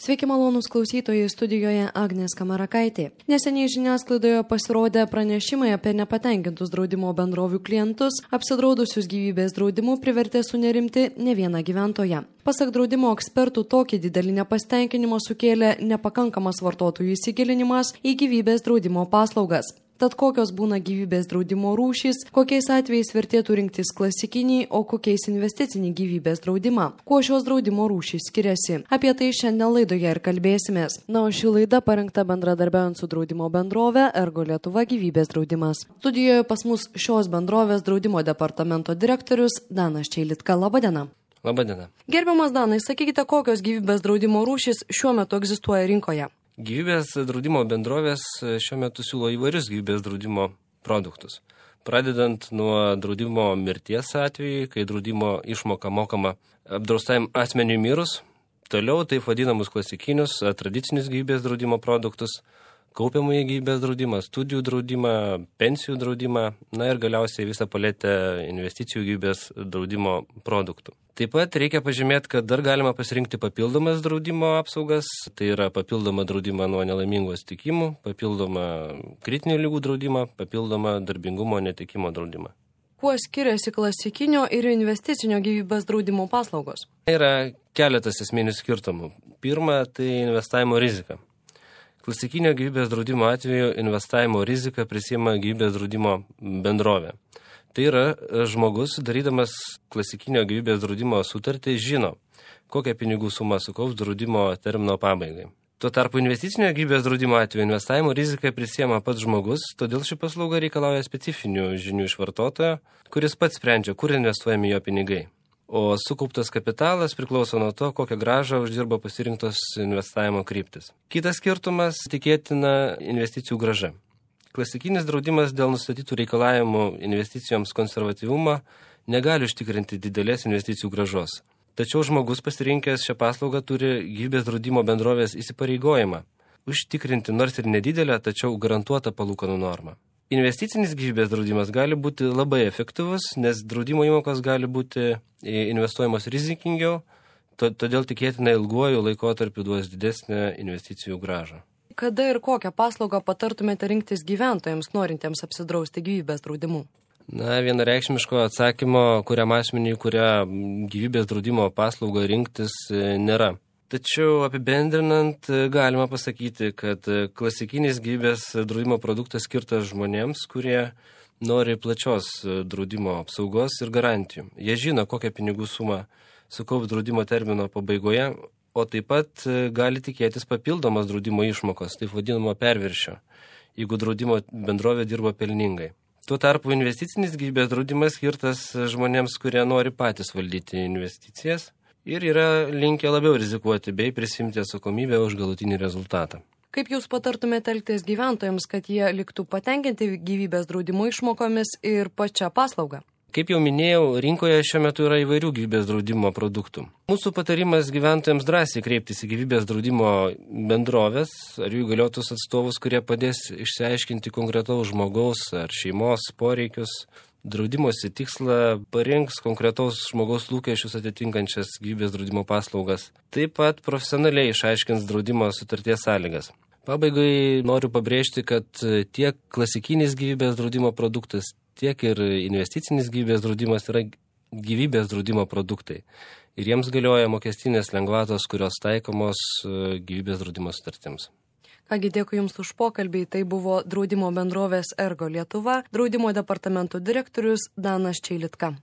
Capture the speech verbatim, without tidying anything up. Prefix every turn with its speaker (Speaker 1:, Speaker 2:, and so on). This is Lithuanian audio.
Speaker 1: Sveiki malonūs klausytojai, studijoje Agnė Skamarakaitė. Neseniai žiniasklaidoje pasirodė pranešimai apie nepatenkintus draudimo bendrovių klientus, apsidraudusius gyvybės draudimu privertė sunerimti ne vieną gyventoją. Pasak draudimo ekspertų, tokį didelį nepasitenkinimą sukėlė nepakankamas vartotojų įsigilinimas į gyvybės draudimo paslaugas. Tad kokios būna gyvybės draudimo rūšys, kokiais atvejais vertėtų rinktis klasikinį, o kokiais investicinį gyvybės draudimą, kuo šios draudimo rūšys skiriasi. Apie tai šiandien laidoje ir kalbėsimės. Na, o ši laida parengta bendradarbiaujant su draudimo bendrove Ergo Lietuva gyvybės draudimas. Studijoje pas mus šios bendrovės draudimo departamento direktorius Danas Čeilitka. Labadiena.
Speaker 2: Labadiena.
Speaker 1: Gerbiamas Danai, sakykite, kokios gyvybės draudimo rūšys šiuo metu egzistuoja rinkoje?
Speaker 2: Gyvybės draudimo bendrovės šiuo metu siūlo įvairius gyvybės draudimo produktus. Pradedant nuo draudimo mirties atveju, kai draudimo išmoka mokama apdraustajam asmeniui mirus, toliau taip vadinamus klasikinius, tradicinius gyvybės draudimo produktus, kaupiamąjį gyvybės draudimą, studijų draudimą, pensijų draudimą, na ir galiausiai visą paletę investicijų gyvybės draudimo produktų. Taip pat reikia pažymėti, kad dar galima pasirinkti papildomas draudimo apsaugas, tai yra papildoma draudimą nuo nelaimingų atsitikimų, papildoma kritinių ligų draudimą, papildoma darbingumo netekimo draudimą.
Speaker 1: Kuo skiriasi klasikinio ir investicinio gyvybės draudimo paslaugos?
Speaker 2: Yra keletas esminių skirtumų. Pirma, tai investavimo rizika. Klasikinio gyvybės draudimo atveju investavimo riziką prisiima gyvybės draudimo bendrovė. Tai yra žmogus, darydamas klasikinio gyvybės draudimo sutartį, žino, kokią pinigų sumą sukaups draudimo termino pabaigai. Tuo tarpu investicinio gyvybės draudimo atveju investavimo riziką prisiema pats žmogus, todėl ši paslauga reikalauja specifinių žinių iš vartotojo, kuris pats sprendžia, kur investuojami jo pinigai. O sukauptas kapitalas priklauso nuo to, kokią grąžą uždirba pasirinktos investavimo kryptis. Kitas skirtumas – tikėtina investicijų grąža. Klasikinis draudimas dėl nustatytų reikalavimų investicijoms konservatyvumą negali užtikrinti didelės investicijų grąžos. Tačiau žmogus pasirinkęs šią paslaugą turi gyvybės draudimo bendrovės įsipareigojimą užtikrinti nors ir nedidelę, tačiau garantuotą palūkanų normą. Investicinis gyvybės draudimas gali būti labai efektyvus, nes draudimo įmokos gali būti investuojamos rizikingiau, todėl tikėtina ilguoju laikotarpiu duos didesnę investicijų grąžą.
Speaker 1: Kada ir kokią paslaugą patartumėte rinktis gyventojams, norintiems apsidrausti gyvybės draudimu?
Speaker 2: Na, vienareikšmiško atsakymo, kuriam asmeniui, kurią gyvybės draudimo paslaugą rinktis, nėra. Tačiau apibendrinant, galima pasakyti, kad klasikinis gyvybės draudimo produktas skirtas žmonėms, kurie nori plačios draudimo apsaugos ir garantijų. Jie žino, kokią pinigų sumą sukaups draudimo termino pabaigoje, o taip pat gali tikėtis papildomas draudimo išmokos, taip vadinamo perviršio, jeigu draudimo bendrovė dirba pelningai. Tuo tarpu investicinis gyvybės draudimas skirtas žmonėms, kurie nori patys valdyti investicijas ir yra linkę labiau rizikuoti bei prisimti atsakomybę už galutinį rezultatą.
Speaker 1: Kaip jūs patartumėte elgtis gyventojams, kad jie liktų patenkinti gyvybės draudimo išmokomis ir pačią paslaugą?
Speaker 2: Kaip jau minėjau, rinkoje šiuo metu yra įvairių gyvybės draudimo produktų. Mūsų patarimas gyventojams drąsiai kreiptis į gyvybės draudimo bendrovės ar jų įgaliotus atstovus, kurie padės išsiaiškinti konkretaus žmogaus ar šeimos poreikius. Draudimosi tikslą parinks konkretaus žmogaus lūkesčius atitinkančias gyvybės draudimo paslaugas. Taip pat profesionaliai išaiškins draudimo sutarties sąlygas. Pabaigai noriu pabrėžti, kad tiek klasikinis gyvybės draudimo produktas, tiek ir investicinis gyvybės draudimas yra gyvybės draudimo produktai. Ir jiems galioja mokestinės lengvatos, kurios taikomos gyvybės draudimo sutartims.
Speaker 1: Kągi, dėkui Jums už pokalbį. Tai buvo draudimo bendrovės Ergo Lietuva, draudimo departamento direktorius Danas Čeilitka.